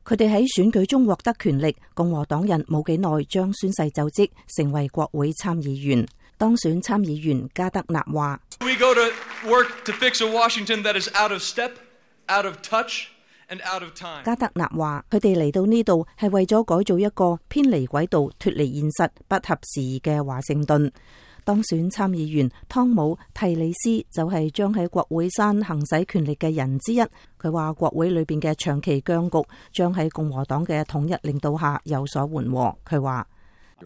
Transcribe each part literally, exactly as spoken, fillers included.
佢哋喺選舉中獲得權力，共和黨人冇幾耐將宣誓就職，成為國會參議員。當選參議員加德納話：We go to work to fix a Washington that is out of step, out of touch, and out of time. 加德納話：佢哋嚟到呢度係為咗改造一個偏離軌道、脫離現實、不合時宜嘅華盛頓。當選參議員湯姆提里斯就係將喺國會山行使權力嘅人之一。佢話國會裏邊嘅長期僵局將喺共和黨嘅統一領導下有所緩和。佢話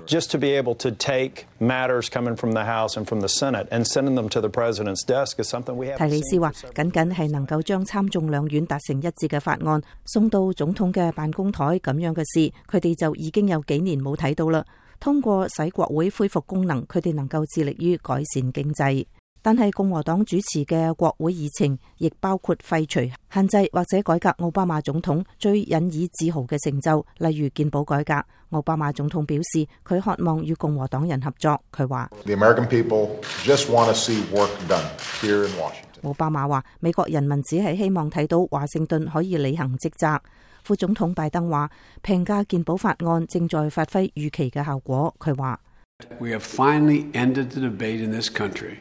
：Just to be able to take matters coming from the House and from the Senate and sending them to the President's desk is something we haven't seen. 提里斯話：僅僅係能夠將參眾兩院達成一致嘅法案送到總統嘅辦公台咁樣嘅事，佢哋就已經有幾年冇睇到啦。通過使國會恢復功能，佢哋能夠致力於改善經濟。但係共和黨主持嘅國會議程亦包括廢除、限制或者改革奧巴馬總統最引以自豪嘅成就，例如健保改革。奧巴馬總統表示，佢渴望與共和黨人合作。佢話： The American people just want to see work done here in Washington. 奧巴馬話：美國人民只係希望睇到華盛頓可以履行職責。副總統拜登話：平價健保法案正在發揮預期嘅效果。佢話 We have finally ended the debate in this country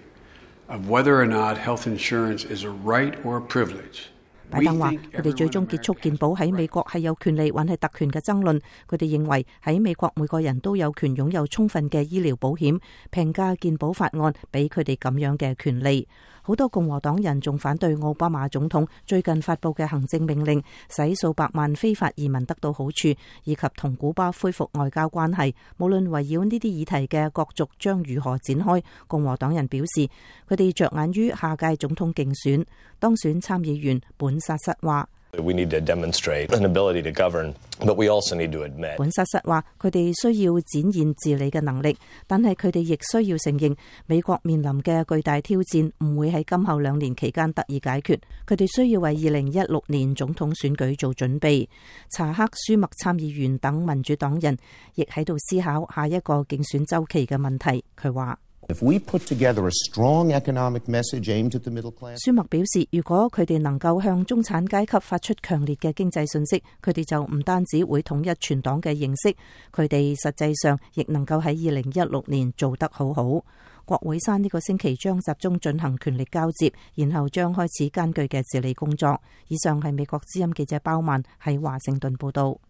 of whether or not health insurance is a right or a privilege. 拜登話：佢哋最終結束健保喺美國係有權利還係特權嘅爭論。佢哋認為喺美國每個人都有權擁有充分嘅醫療保險，平價健保法案俾佢哋咁樣嘅權利。好多共和黨人仲反對奧巴馬總統最近發佈嘅行政命令，使數百萬非法移民得到好處，以及同古巴恢復外交關係。無論圍繞呢啲議題嘅角逐將如何展開，共和黨人表示佢哋着眼於下屆總統競選。當選參議員本薩瑟話：We need to demonstrate an ability to govern, but we also need to admit. 本薩瑟話：佢哋需要展現治理嘅能力，但係佢哋亦需要承認美國面臨嘅巨大挑戰唔會喺今後兩年期間得以解決。佢哋需要為二零一六年總統選舉做準備。查克·舒默參議員等民主黨人亦喺度思考下一個競選週期嘅問題。佢話If we put together a strong economic message aimed at the middle class， 舒默表示，如果佢哋能夠向中產階級發出強烈嘅經濟信息，佢哋就唔單止會統一全黨嘅認識，佢哋實際上亦能夠喺二零一六年做得好好。國會山呢個星期將集中進行權力交接，然後將開始艱巨嘅治理工作。以上係美國之音記者包曼喺華盛頓報道。